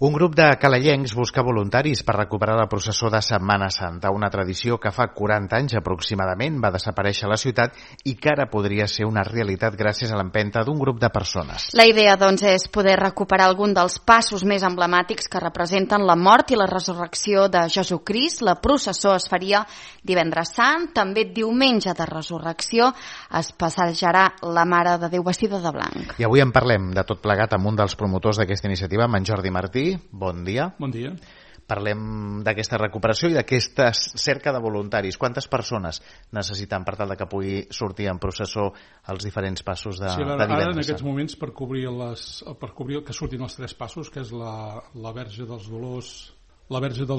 Un grup de calellencs busca voluntaris per recuperar la processó de Setmana Santa, una tradició que fa 40 anys aproximadament va desaparèixer a la ciutat i que ara podria ser una realitat gràcies a l'empenta d'un grup de persones. La idea, doncs, és poder recuperar algun dels passos més emblemàtics que representen la mort i la resurrecció de Jesucrist. La processó es faria divendres sant, també diumenge de resurrecció es passejarà la Mare de Déu vestida de blanc. I avui en parlem de tot plegat amb un dels promotors d'aquesta iniciativa, amb en Jordi Martí. Bon dia. Bon dia. Parlem d'aquesta recuperació i d'aquesta cerca de voluntaris. Quantes persones necessiten per tal de que pugui sortir en processó els diferents passos de divendres? Ara, en aquests moments, per cobrir que surtin els 3 passos, que és la Verge dels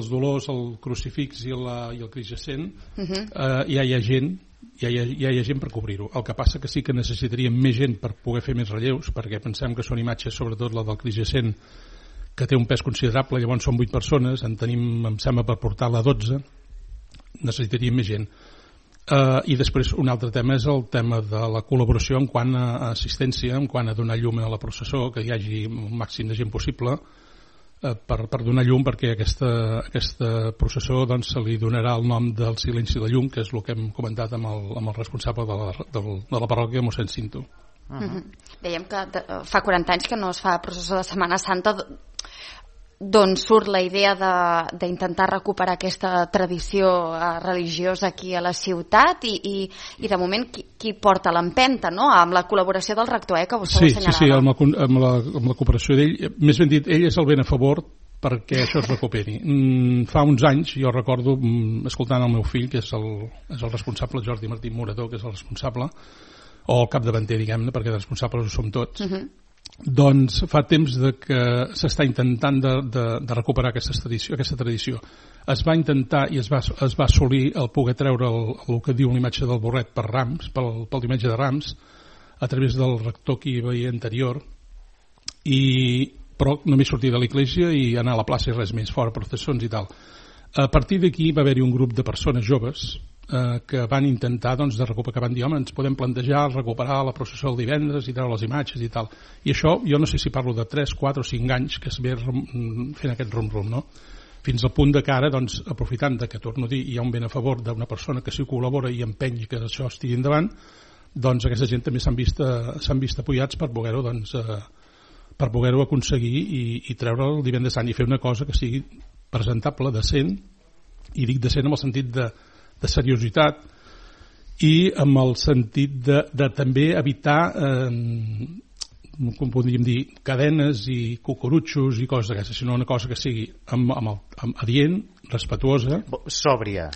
Dolors, el Crucifix i el Crist Jacent, ja hi ha gent. Ja hi ha gent per cobrir-ho. El que passa que sí que necessitaríem més gent per poder fer més relleus, perquè pensem que són imatges, sobretot la del Crist Jacent, que té un pes considerable, llavors són 8 persones, en tenim, em sembla, per portar-la 12, necessitaríem més gent. I després un altre tema és el tema de la col·laboració en quant a assistència, en quant a donar llum a la processó, que hi hagi un màxim de gent possible per donar llum, perquè aquesta processó doncs, se li donarà el nom del silenci de llum, que és el que hem comentat amb el responsable de la parròquia, mossèn Cinto. Dèiem que fa 40 anys que no es fa processó de Setmana Santa, d'on surt la idea d'intentar recuperar aquesta tradició religiosa aquí a la ciutat i de moment qui porta l'empenta, no? Amb la col·laboració del rector, que vostè ho assenyalava. Sí, amb la cooperació d'ell. Més ben dit, ell és el ben a favor perquè això es recuperi. Fa uns anys, jo recordo, escoltant el meu fill, que és el responsable, Jordi Martí Morador, que és el responsable, o el capdavanter, diguem-ne, perquè de responsables ho som tots, doncs fa temps que s'està intentant de recuperar aquesta tradició. Es va intentar i es va assolir el poder treure el que diu l'imatge del burret per Rams, pel diumenge de Rams, a través del rector que hi havia anterior, però només sortir de l'església i anar a la plaça i res més, fora processons i tal. A partir d'aquí va haver-hi un grup de persones joves que van intentar de recuperar, que van dir, home, ens podem plantejar recuperar la processó el divendres i treure les imatges i tal. I això, jo no sé si parlo de 3, 4 o 5 anys que es ve fent aquest rum-rum, no? Fins al punt de que ara, aprofitant que, torno a dir, hi ha un ben a favor d'una persona que s'hi col·labora i empeny que això estigui endavant, doncs aquesta gent també s'han vist apoyats per poder-ho aconseguir i treure el divendres sant i fer una cosa que sigui presentable, decent, i dic decent en el sentit de seriositat i amb el sentit de també evitar com podríem dir, cadenes i cucurutxos i coses d'aquestes, sinó una cosa que sigui adient, respetuosa, sòbria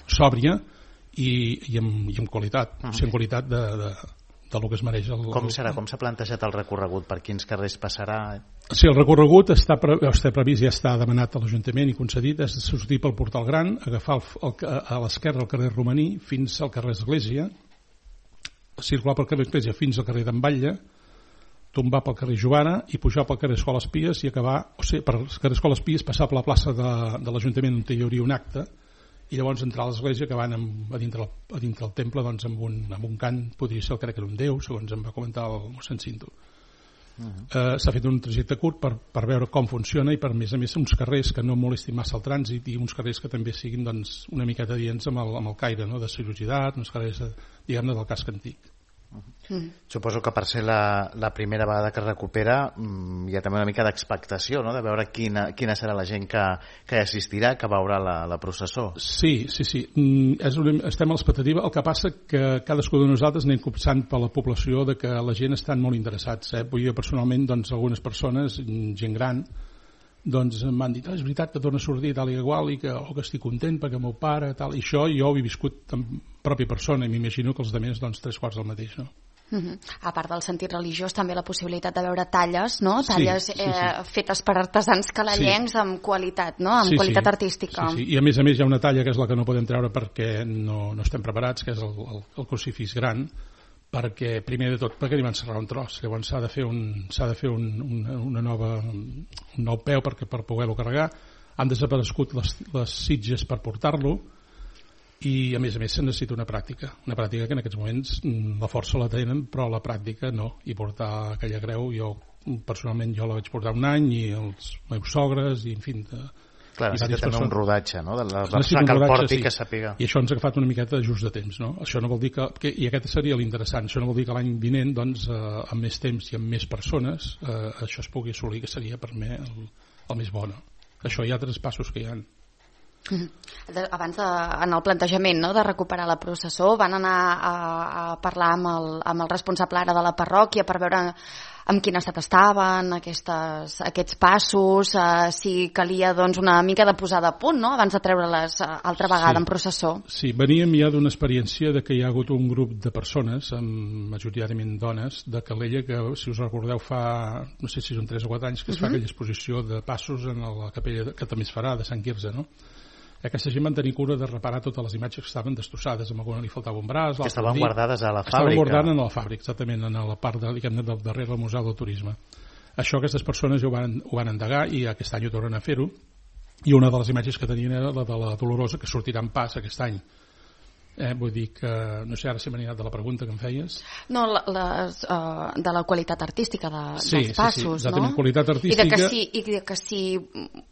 i amb qualitat, o sigui, en qualitat del que es mereix. Com serà? Com s'ha plantejat el recorregut? Per quins carrers passarà? Sí, el recorregut està previst, ja està demanat a l'Ajuntament i concedit, és sortir pel Portal Gran, agafar a l'esquerra el carrer Romaní fins al carrer Església, circular pel carrer Església fins al carrer d'en Batlle, tombar pel carrer Jovana i pujar pel carrer Escoles Pies i acabar, per carrer Escoles Pies, passar per la plaça de l'Ajuntament on hi hauria un acte i llavors entrar a l'església que van a dintre del temple amb un cant, podria ser, crec que era un déu, segons em va comentar el mossèn Cinto. S'ha fet un trajecte curt per veure com funciona i per més a més uns carrers que no molestin massa el trànsit i uns carrers que també siguin una miqueta adients amb el caire, no? De seriositat, uns carrers diguem-ne del casc antic. Suposo que per ser la primera vegada que es recupera hi ha també una mica d'expectació, no? De veure quina serà la gent que hi assistirà, que veurà la processó. Sí. Estem a l'expectativa. El que passa que cadascú de nosaltres anem copsant per la població de que la gent estan molt interessats. Jo personalment, algunes persones, gent gran, m'han dit, és veritat que torna a sortir tal i igual o que estic content perquè el meu pare, tal, i això jo ho he viscut en pròpia persona i m'imagino que els altres 3/4 del mateix, no? A part del sentit religiós, també la possibilitat de veure talles, no? Talles sí. Fetes per artesans calellencs amb qualitat, no? Amb qualitat artística. Sí. I a més hi ha una talla que és la que no podem treure perquè no estem preparats, que és el crucifix gran, perquè primer de tot perquè li van serrar un tros, llavors s'ha de fer un nou peu per poder-lo carregar. Han desaparegut les sitges per portar-lo i a més se necessita una pràctica que en aquests moments la força la tenen però la pràctica no, i portar aquella creu jo personalment jo la vaig portar un any, i els meus sogres, i en fi... Clar, necessita també un rodatge, no? De la necessita un rodatge, sí. Que sàpiga. I això ens ha agafat una miqueta just de temps, no? Això no vol dir que i aquest seria l'interessant, això no vol dir que l'any vinent, doncs, amb més temps i amb més persones, això es pugui assolir, que seria per mi el més bo, no? Això hi ha traspassos que hi ha. Abans en el plantejament, no?, de recuperar la processó, van anar a parlar amb el responsable ara de la parròquia per veure en quin estat estaven aquests passos, si calia doncs una mica de posada a punt, no?, abans de treure-les altra vegada en processó. Sí, veníem ja d'una experiència de que hi ha hagut un grup de persones, majoritàriament dones, de Calella, que si us recordeu fa, no sé si són 3 o 4 anys, que es fa aquella exposició de passos en la capella que també es farà de Sant Quirze, no? Aquesta gent van tenir cura de reparar totes les imatges que estaven destrossades, amb alguna li faltava un braç, que estaven guardades a la fàbrica. Estaven guardades a la fàbrica, exactament, en la part del darrere del Museu del Turisme. Això aquestes persones ho van endegar, i aquest any ho tornen a fer-ho, i una de les imatges que tenien era la de la Dolorosa, que sortirà en pas aquest any. Vull dir que, no sé ara si m'he anat de la pregunta que em feies. No, de la qualitat artística dels passos, sí, no? Qualitat artística. I que si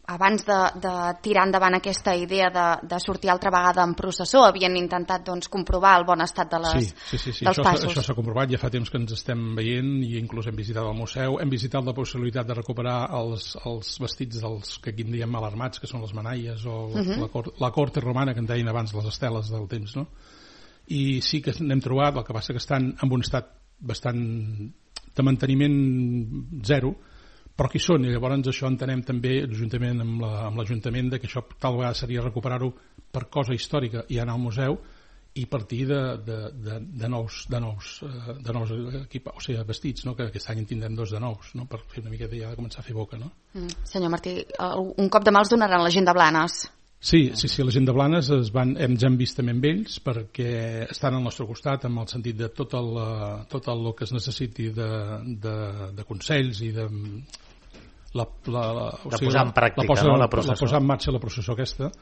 abans de tirar endavant aquesta idea de sortir altra vegada en processó havien intentat doncs comprovar el bon estat dels passos. Això s'ha comprovat, ja fa temps que ens estem veient, i inclús hem visitat el museu, hem visitat la possibilitat de recuperar els vestits dels que aquí en diem mal armats, que són les manalles o la corte romana, que en deien abans les esteles del temps, no? I sí que n'hem trobat, el que passa que estan en un estat bastant de manteniment zero, però qui són, i llavors això entenem també juntament amb l'Ajuntament de que això tal vegada seria recuperar-ho per cosa històrica i anar al museu i partir de nous o sigui, vestits, no? Que aquest any en tindrem 2 de nous, no? Per fer una miqueta ja de començar a fer boca, no? Senyor Martí, un cop de mà els donaran la gent de Blanes. Sí, la gent de Blanes ens hem vist també amb ells perquè estan al nostre costat en el sentit de tot el que es necessiti de consells i de posar en pràctica la processó. La posar en marxa la processó aquesta,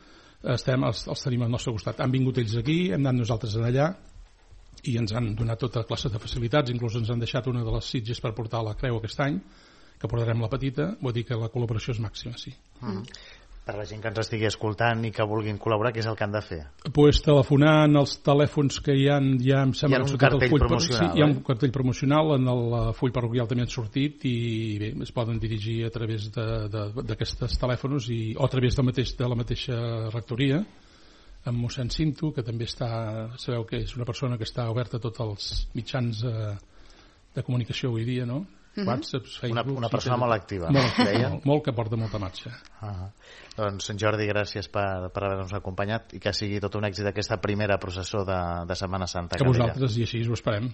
els tenim al nostre costat. Han vingut ells aquí, hem anat nosaltres allà i ens han donat tota classe de facilitats, inclús ens han deixat una de les sitges per portar la creu aquest any, que portarem la petita, vull dir que la col·laboració és màxima, sí. Per la gent que ens estigui escoltant i que vulguin col·laborar, què és el que han de fer? Pues telefonant els telèfons que hi ha em sembla hi ha un cartell promocional. Hi ha un cartell promocional, en el full parroquial també han sortit, i bé, es poden dirigir a través d'aquests telèfons o a través de la mateixa rectoria, amb mossèn Cinto, que també sabeu que és una persona que està oberta a tots els mitjans de comunicació avui dia, no? WhatsApp, Facebook, una persona molt activa, molt que porta molta marxa. Doncs Jordi, gràcies per haver-nos acompanyat i que sigui tot un èxit aquesta primera processó de Setmana Santa. Que vosaltres, i així ho esperem.